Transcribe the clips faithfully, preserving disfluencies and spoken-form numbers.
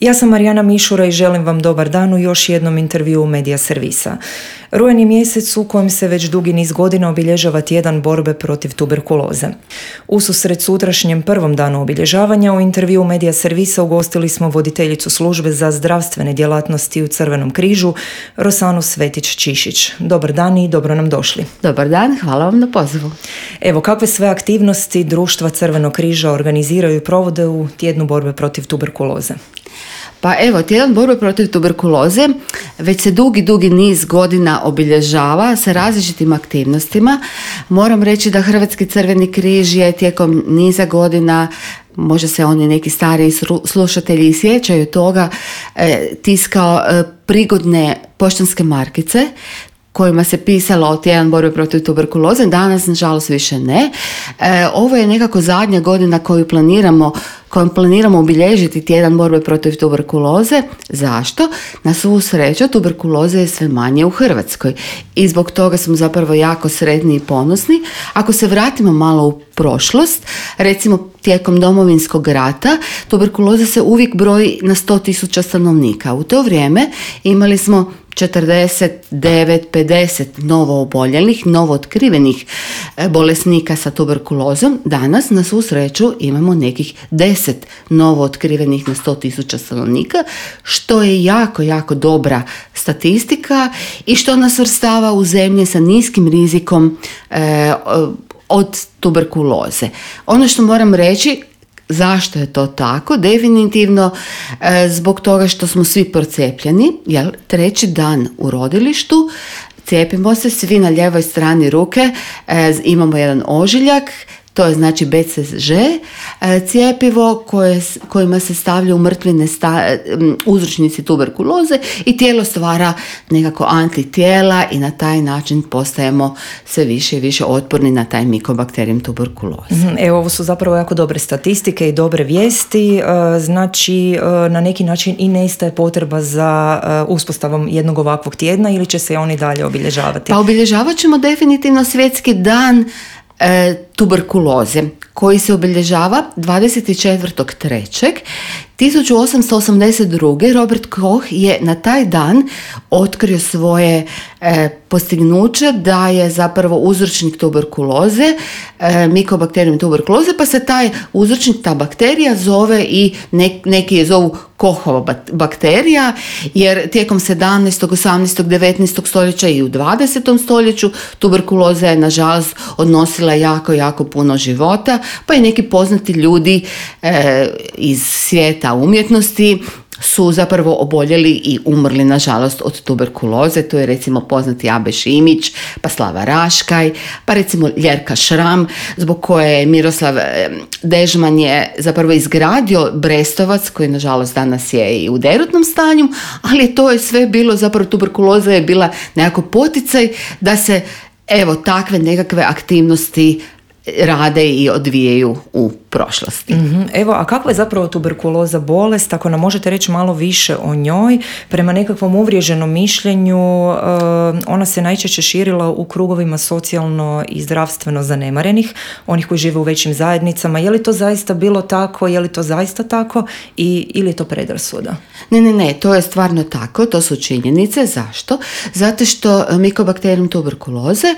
Ja sam Marijana Mišura i želim vam dobar dan u još jednom intervjuu Medija Servisa. Rujan je mjesec u kojem se već dugi niz godina obilježava tjedan borbe protiv tuberkuloze. Ususret sutrašnjem prvom danu obilježavanja u intervjuu Medija Servisa ugostili smo voditeljicu službe za zdravstvene djelatnosti u Crvenom križu, Rosanu Svetić-Čišić. Dobar dan i dobro nam došli. Dobar dan, hvala vam na pozivu. Evo, kakve sve aktivnosti društva Crvenog križa organiziraju i provode u tjednu borbe protiv tuberkuloze? Pa evo, tjedan borbe protiv tuberkuloze već se dugi, dugi niz godina obilježava sa različitim aktivnostima. Moram reći da Hrvatski Crveni križ je tijekom niza godina, možda se oni neki stariji slušatelji sjećaju toga, tiskao prigodne poštanske markice kojima se pisalo o tjedan borbe protiv tuberkuloze. Danas, nažalost, više ne. E, ovo je nekako zadnja godina koju planiramo, kojom planiramo obilježiti tjedan borbe protiv tuberkuloze. Zašto? Na svu sreću, tuberkuloze je sve manje u Hrvatskoj i zbog toga smo zapravo jako sretni i ponosni. Ako se vratimo malo u prošlost, recimo tijekom Domovinskog rata, tuberkuloza se uvijek broji na sto tisuća stanovnika. U to vrijeme imali smo četrdeset devet pedeset novo oboljelih, novo otkrivenih bolesnika sa tuberkulozom. Danas, na svu sreću, imamo nekih deset novo otkrivenih na sto tisuća stanovnika, što je jako, jako dobra statistika i što nas svrstava u zemlje sa niskim rizikom e, od tuberkuloze. Ono što moram reći, zašto je to tako? Definitivno e, zbog toga što smo svi procijepljeni, jel, treći dan u rodilištu, cijepimo se svi na lijevoj strani ruke, e, imamo jedan ožiljak, to je znači be ce že, cjepivo koje, kojima se stavljaju mrtvine sta, uzročnici tuberkuloze i tijelo stvara nekako antitijela i na taj način postajemo sve više i više otporni na taj mikobakterijem tuberkuloze. Evo, ovo su zapravo jako dobre statistike i dobre vijesti, znači na neki način i nestaje potreba za uspostavom jednog ovakvog tjedna ili će se oni dalje obilježavati? Pa obilježavat ćemo definitivno svjetski dan E, tuberkuloze koji se obilježava dvadeset četvrtog trećeg tisuću osamsto osamdeset druge. Robert Koch je na taj dan otkrio svoje e, postignuće da je zapravo uzročnik tuberkuloze, e, mikobakterijum tuberkuloze, pa se taj uzročnik, ta bakterija zove i ne, neki je zovu Kochova bakterija, jer tijekom sedamnaestog, osamnaestog, devetnaestog stoljeća i u dvadesetom stoljeću tuberkuloza je nažalost odnosila jako, jako puno života, pa i neki poznati ljudi e, iz svijeta umjetnosti su zapravo oboljeli i umrli nažalost od tuberkuloze. To je recimo poznati Abe Šimić, pa Slava Raškaj, pa recimo Ljerka Šram, zbog koje je Miroslav Dežman je zapravo izgradio Brestovac, koji nažalost danas je i u derutnom stanju, ali to je sve bilo, zapravo tuberkuloza je bila nekako poticaj da se evo takve nekakve aktivnosti rade i odvijaju u prošlosti. Mm-hmm. Evo, a kakva je zapravo tuberkuloza bolest? Ako nam možete reći malo više o njoj, prema nekakvom uvriježenom mišljenju, uh, ona se najčešće širila u krugovima socijalno i zdravstveno zanemarenih, onih koji žive u većim zajednicama. Je li to zaista bilo tako? Je li to zaista tako? I, ili je to predrasuda? Ne, ne, ne, to je stvarno tako, to su činjenice. Zašto? Zato što mikobakterijum tuberkuloze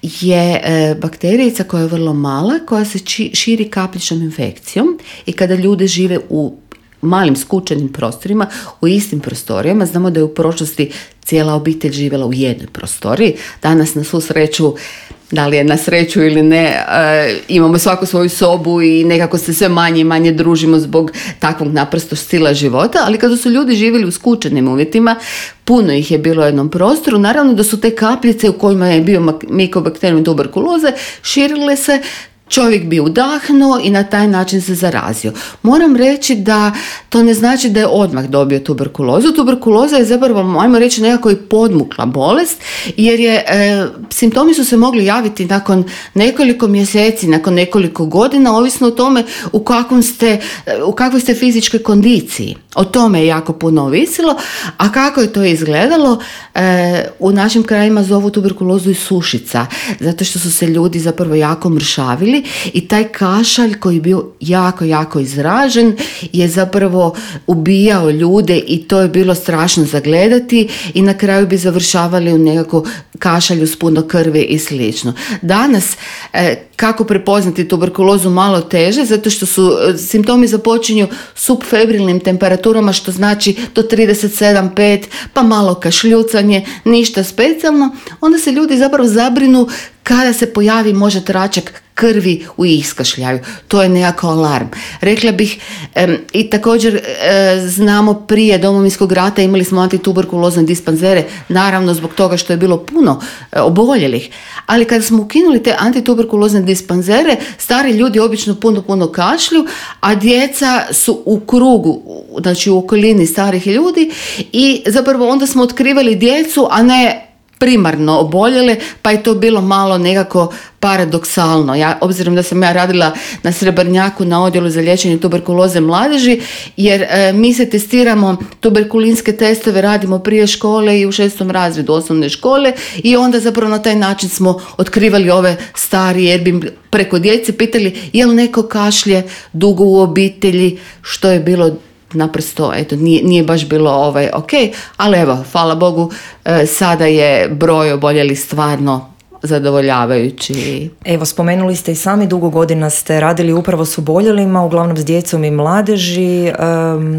je e, bakterijica koja je vrlo mala, koja se či, širi kapličnom infekcijom i kada ljudi žive u malim skučenim prostorima, u istim prostorijama, znamo da je u prošlosti cijela obitelj živjela u jednoj prostoriji. Danas na svu sreću, da li je na sreću ili ne, e, imamo svaku svoju sobu i nekako se sve manje i manje družimo zbog takvog naprosto stila života, ali kada su ljudi živjeli u skučenim uvjetima, puno ih je bilo u jednom prostoru, naravno da su te kapljice u kojima je bio mikobakterijum tuberkuloze širile se, čovjek bi udahnuo i na taj način se zarazio. Moram reći da to ne znači da je odmah dobio tuberkulozu. Tuberkuloza je zapravo, ajmo reći, nekako i podmukla bolest, jer je, e, simptomi su se mogli javiti nakon nekoliko mjeseci, nakon nekoliko godina, ovisno o tome u, kakvom ste, u kakvoj ste fizičkoj kondiciji. O tome je jako puno ovisilo, a kako je to izgledalo, e, u našim krajima zovu tuberkulozu i sušica, zato što su se ljudi zapravo jako mršavili oboljeli i taj kašalj koji je bio jako, jako izražen je zapravo ubijao ljude i to je bilo strašno zagledati i na kraju bi završavali u nekako kašalju s puno krvi i slično. Danas, e, kako prepoznati tuberkulozu malo teže, zato što su simptomi započinju subfebrilnim temperaturama, što znači do trideset sedam pet, pa malo kašljucanje, ništa specijalno, onda se ljudi zapravo zabrinu kada se pojavi možda tračak krvi u iskašljaju. To je nekako alarm. Rekla bih, e, i također e, znamo prije Domovinskog rata imali smo antituberkulozne dispanzere, naravno zbog toga što je bilo puno e, oboljelih. Ali kada smo ukinuli te antituberkulozne dispanzere, stari ljudi obično puno, puno kašlju, a djeca su u krugu, znači u okolini starih ljudi i zapravo onda smo otkrivali djecu, a ne primarno oboljele, pa je to bilo malo nekako paradoksalno. Ja, obzirom da sam ja radila na Srebrnjaku na odjelu za liječenje tuberkuloze mladeži, jer e, mi se testiramo, tuberkulinske testove radimo prije škole i u šestom razredu osnovne škole i onda zapravo na taj način smo otkrivali ove starije, jer bi preko djece pitali je li neko kašlje dugo u obitelji, što je bilo naprosto, eto, nije, nije baš bilo ovaj, ok, ali evo, hvala Bogu, e, sada je broj oboljelih stvarno zadovoljavajući. Evo, spomenuli ste i sami, dugo godina ste radili upravo s oboljelima, uglavnom s djecom i mladeži. E,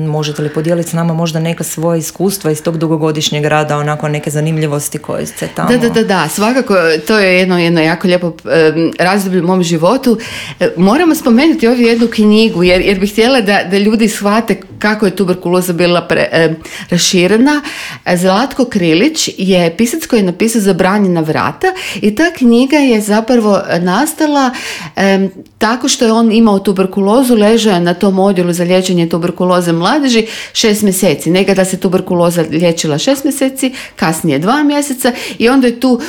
možete li podijeliti s nama možda neka svoja iskustva iz tog dugogodišnjeg rada, onako neke zanimljivosti koje ste tamo? Da, da, da, da. Svakako, to je jedno, jedno jako lijepo e, razdoblje u mom životu. E, moramo spomenuti ovdje jednu knjigu, jer, jer bih htjela da, da ljudi shvate kako je tuberkuloza bila pre, e, raširena. Zlatko Krilić je pisac koji je napisao Zabranjena vrata i ta knjiga je zapravo nastala e, tako što je on imao tuberkulozu, ležao je na tom odjelu za liječenje tuberkuloze mladeži šest mjeseci. Nekada se tuberkuloza liječila šest mjeseci, kasnije dva mjeseca i onda je tu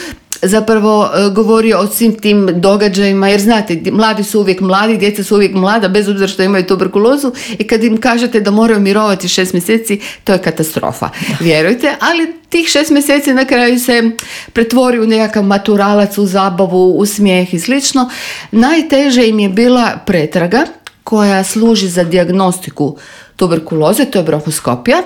zapravo govorio o svim tim događajima, jer znate, mladi su uvijek mladi, djeca su uvijek mlada, bez obzira što imaju tuberkulozu i kad im kažete da moraju mirovati šest mjeseci, to je katastrofa, vjerujte, ali tih šest mjeseci na kraju se pretvori u nekakav maturalac, u zabavu, u smijeh i slično. Najteže im je bila pretraga koja služi za dijagnostiku tuberkuloze, to je bronhoskopija.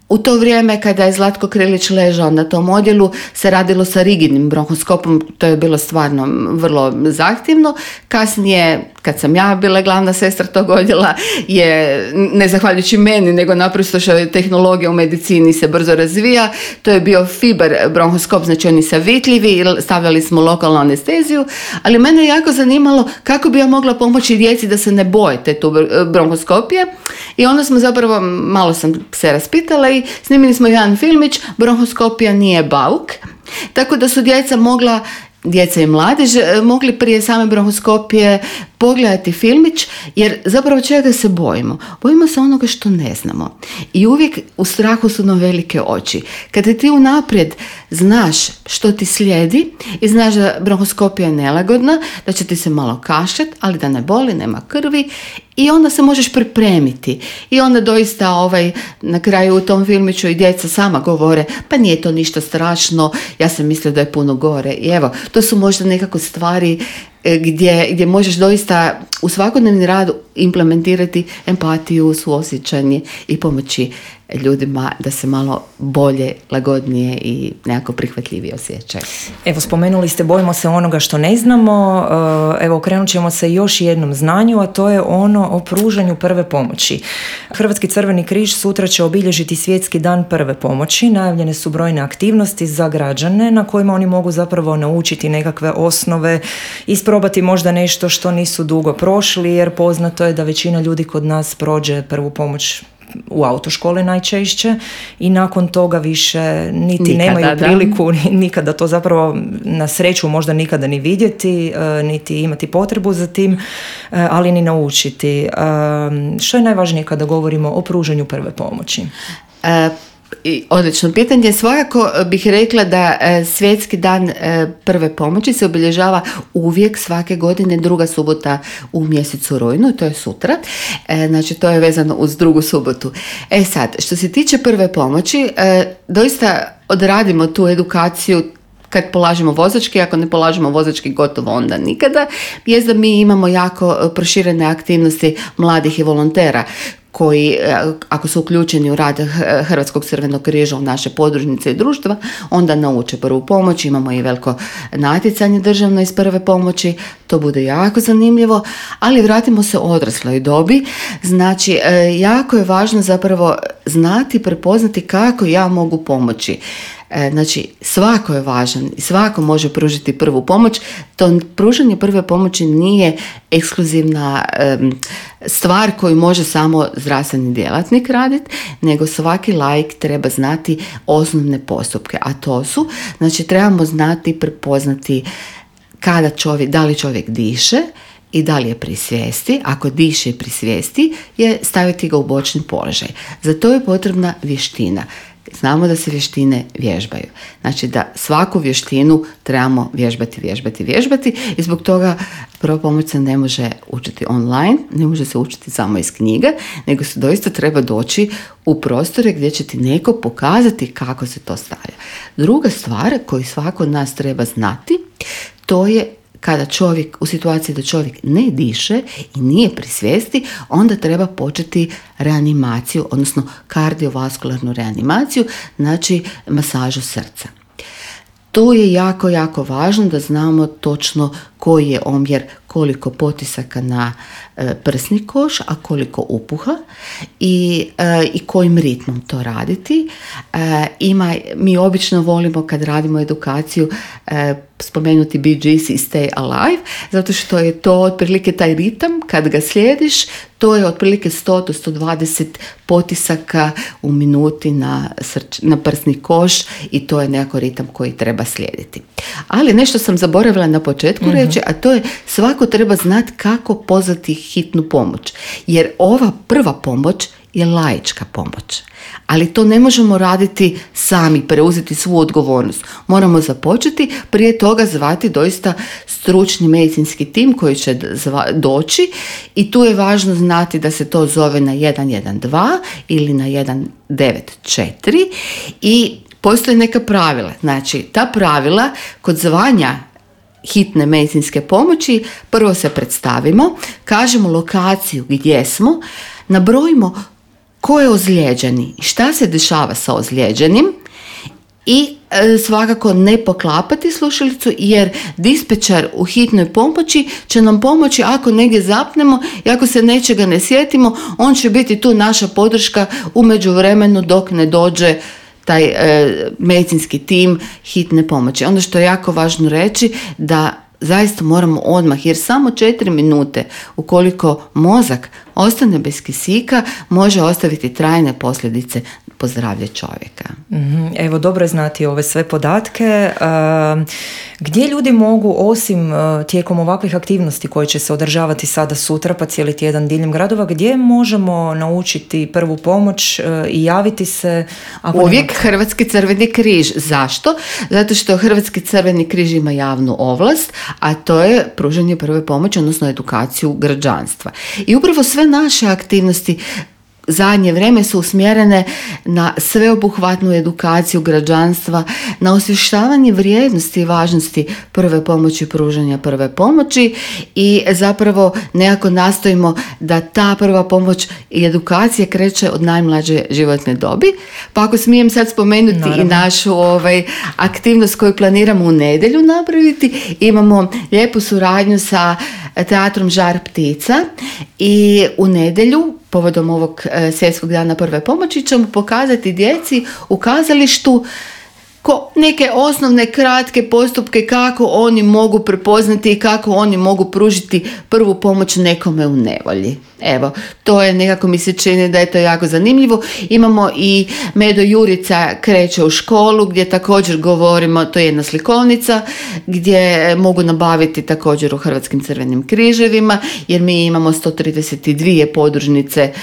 U to vrijeme kada je Zlatko Krilić ležao na tom odjelu se radilo sa rigidnim bronhoskopom, to je bilo stvarno vrlo zahtjevno. Kasnije, kad sam ja bila glavna sestra tog odjela, je, ne zahvaljujući meni, nego naprosto što je tehnologija u medicini se brzo razvija, to je bio fiber bronhoskop, znači oni savitljivi, stavljali smo lokalnu anesteziju, ali mene je jako zanimalo kako bi ja mogla pomoći djeci da se ne boje te bronhoskopije i onda smo zapravo, malo sam se raspitala i snimili smo jedan filmić, bronhoskopija nije bauk, tako da su djeca mogla, djeca i mladež, mogli prije same bronhoskopije pogledati filmić, jer zapravo čega se bojimo? Bojimo se onoga što ne znamo. I uvijek u strahu su nam velike oči. Kada ti unaprijed znaš što ti slijedi i znaš da bronhoskopija je nelagodna, da će ti se malo kašljati, ali da ne boli, nema krvi, i onda se možeš pripremiti. I onda doista ovaj, na kraju u tom filmiću i djeca sama govore, pa nije to ništa strašno, ja sam mislila da je puno gore. I evo, to su možda nekako stvari Gdje, gdje možeš doista u svakodnevni rad implementirati empatiju, suosjećanje i pomoći ljudima da se malo bolje, lagodnije i nekako prihvatljivije osjećaju. Evo, spomenuli ste bojimo se onoga što ne znamo. Evo, okrenut ćemo se još jednom znanju, a to je ono o pružanju prve pomoći. Hrvatski Crveni križ sutra će obilježiti Svjetski dan prve pomoći. Najavljene su brojne aktivnosti za građane na kojima oni mogu zapravo naučiti nekakve osnove, isprobati možda nešto što nisu dugo prošli, jer poznato je da većina ljudi kod nas prođe prvu pomoć u autoškole najčešće i nakon toga više niti nikada, nemaju priliku da. nikada to zapravo na sreću možda nikada ni vidjeti, niti imati potrebu za tim, ali ni naučiti. Što je najvažnije kada govorimo o pružanju prve pomoći? E, I odlično pitanje. Svakako bih rekla da e, Svjetski dan e, prve pomoći se obilježava uvijek svake godine druga subota u mjesecu rujnu, to je sutra. E, znači to je vezano uz drugu subotu. E sad, što se tiče prve pomoći, e, doista odradimo tu edukaciju kad polažemo vozački, ako ne polažemo vozački gotovo onda nikada, je da mi imamo jako proširene aktivnosti mladih i volontera koji, ako su uključeni u rad Hrvatskog crvenog križa u naše podružnice i društva, onda nauče prvu pomoć. Imamo i veliko natjecanje državno iz prve pomoći, to bude jako zanimljivo, ali vratimo se odrasloj dobi. Znači, jako je važno zapravo znati, prepoznati kako ja mogu pomoći. Znači, svako je važan i svako može pružiti prvu pomoć. To pružanje prve pomoći nije ekskluzivna um, stvar koju može samo zdravstveni djelatnik raditi, nego svaki laik treba znati osnovne postupke, a to su, znači, trebamo znati, prepoznati kada čovjek, da li čovjek diše i da li je pri svijesti. Ako diše i pri svijesti, je staviti ga u bočni položaj. Za to je potrebna vještina. Znamo da se vještine vježbaju. Znači da svaku vještinu trebamo vježbati, vježbati, vježbati i zbog toga prva pomoć se ne može učiti online, ne može se učiti samo iz knjiga, nego se doista treba doći u prostore gdje će ti neko pokazati kako se to stavlja. Druga stvar koju svako od nas treba znati, to je kada čovjek, u situaciji da čovjek ne diše i nije pri svijesti, onda treba početi reanimaciju, odnosno kardiovaskularnu reanimaciju, znači masažu srca. Tu je jako, jako važno da znamo točno koji je omjer, koliko potisaka na e, prsni koš, a koliko upuha i, e, i kojim ritmom to raditi. E, ima, mi obično volimo kad radimo edukaciju e, spomenuti Bee Gees i Stay Alive, zato što je to otprilike taj ritam, kad ga slijediš, to je otprilike sto do sto dvadeset potisaka u minuti na, srč, na prsni koš i to je nekako ritam koji treba slijediti. Ali nešto sam zaboravila na početku mm-hmm. reći, a to je svako treba znati kako pozvati hitnu pomoć. Jer ova prva pomoć je laička pomoć. Ali to ne možemo raditi sami, preuzeti svu odgovornost. Moramo započeti, prije toga zvati doista stručni medicinski tim koji će zva, doći i tu je važno znati da se to zove na jedan jedan dva ili na jedan devet četiri i postoje neka pravila. Znači, ta pravila kod zvanja hitne medicinske pomoći, prvo se predstavimo, kažemo lokaciju gdje smo, nabrojimo ko je ozlijeđeni i šta se dešava sa ozlijeđenim i e, svakako ne poklapati slušalicu jer dispečar u hitnoj pomoći će nam pomoći ako negdje zapnemo i ako se nečega ne sjetimo, on će biti tu naša podrška u međuvremenu dok ne dođe taj e, medicinski tim hitne pomoći. Ono što je jako važno reći da zaista moramo odmah, jer samo četiri minute ukoliko mozak ostane bez kisika može ostaviti trajne posljedice po zdravlje čovjeka. Mm-hmm. Evo, dobro je znati ove sve podatke. Uh, gdje ljudi mogu, osim uh, tijekom ovakvih aktivnosti koje će se održavati sada sutra pa cijeli tjedan diljem gradova, gdje možemo naučiti prvu pomoć uh, i javiti se? Ako Uvijek nema... Hrvatski crveni križ. Zašto? Zato što Hrvatski crveni križ ima javnu ovlast, a to je pružanje prve pomoći, odnosno edukaciju građanstva. I upravo sve naše aktivnosti zadnje vrijeme su usmjerene na sveobuhvatnu edukaciju građanstva, na osvještavanje vrijednosti i važnosti prve pomoći, pružanja prve pomoći i zapravo nekako nastojimo da ta prva pomoć i edukacija kreće od najmlađe životne dobi. Pa ako smijem sad spomenuti Naravno. i našu ovaj, aktivnost koju planiramo u nedjelju napraviti, imamo lijepu suradnju sa teatrom Žar ptica i u nedjelju povodom ovog e, svjetskog dana prve pomoći ćemo pokazati djeci u kazalištu ko neke osnovne kratke postupke kako oni mogu prepoznati i kako oni mogu pružiti prvu pomoć nekome u nevolji. Evo, to je nekako mi se čini da je to jako zanimljivo. Imamo i Medo Jurica kreće u školu gdje također govorimo, to je jedna slikovnica gdje mogu nabaviti također u Hrvatskim crvenim križevima jer mi imamo sto trideset dvije podružnice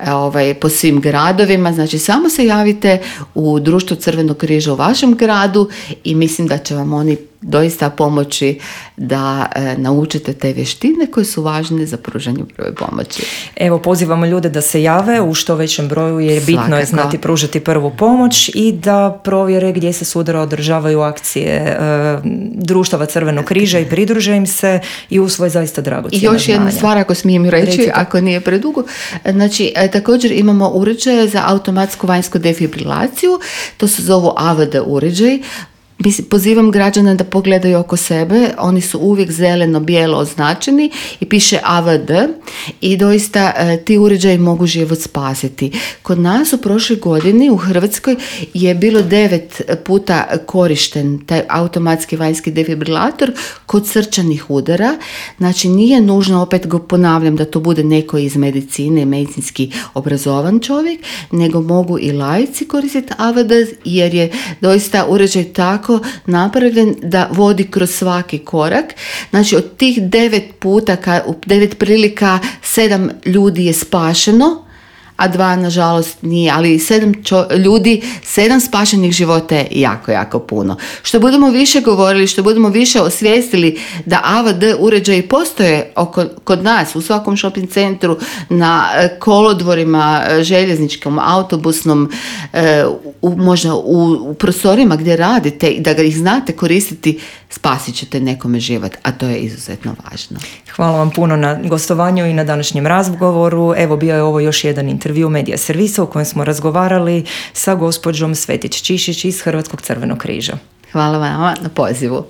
ovaj, po svim gradovima. Znači samo se javite u Društvo Crvenog križa u vašem gradu i mislim da će vam oni doista pomoći da e, naučite te vještine koje su važne za pružanje prve pomoći. Evo, pozivamo ljude da se jave u što većem broju jer bitno Svakako. je znati pružiti prvu pomoć i da provjere gdje se sutra održavaju akcije e, društava Crvenog križa i pridruže im se i usvoje zaista dragocjena I još znanja. jedna stvar, ako smijem reći, Recite. ako nije predugo. Znači, e, također imamo uređaje za automatsku vanjsku defibrilaciju, to se zovu A V D uređaj. Mislim, pozivam građana da pogledaju oko sebe, oni su uvijek zeleno-bijelo označeni i piše A V D i doista e, ti uređaji mogu život spasiti. Kod nas u prošloj godini u Hrvatskoj je bilo devet puta korišten taj automatski vanjski defibrilator kod srčanih udara. Znači nije nužno, opet go ponavljam, da to bude neko iz medicine, medicinski obrazovan čovjek, nego mogu i laici koristiti A V D jer je doista uređaj tako napravljen da vodi kroz svaki korak. Znači od tih devet puta, u devet prilika sedam ljudi je spašeno, a dva nažalost nije, ali sedam čo- ljudi, sedam spašenih života je jako, jako puno. Što budemo više govorili, što budemo više osvijestili da A V D uređaji postoje oko, kod nas, u svakom shopping centru, na kolodvorima, željezničkom, autobusnom, u, možda u, u prostorima gdje radite, da ga ih znate koristiti, spasit ćete nekome život, a to je izuzetno važno. Hvala vam puno na gostovanju i na današnjem razgovoru. Evo, bio je ovo još jedan intervju Medija servisa u kojem smo razgovarali sa gospođom Svetić Čišić iz Hrvatskog Crvenog križa. Hvala vama na pozivu.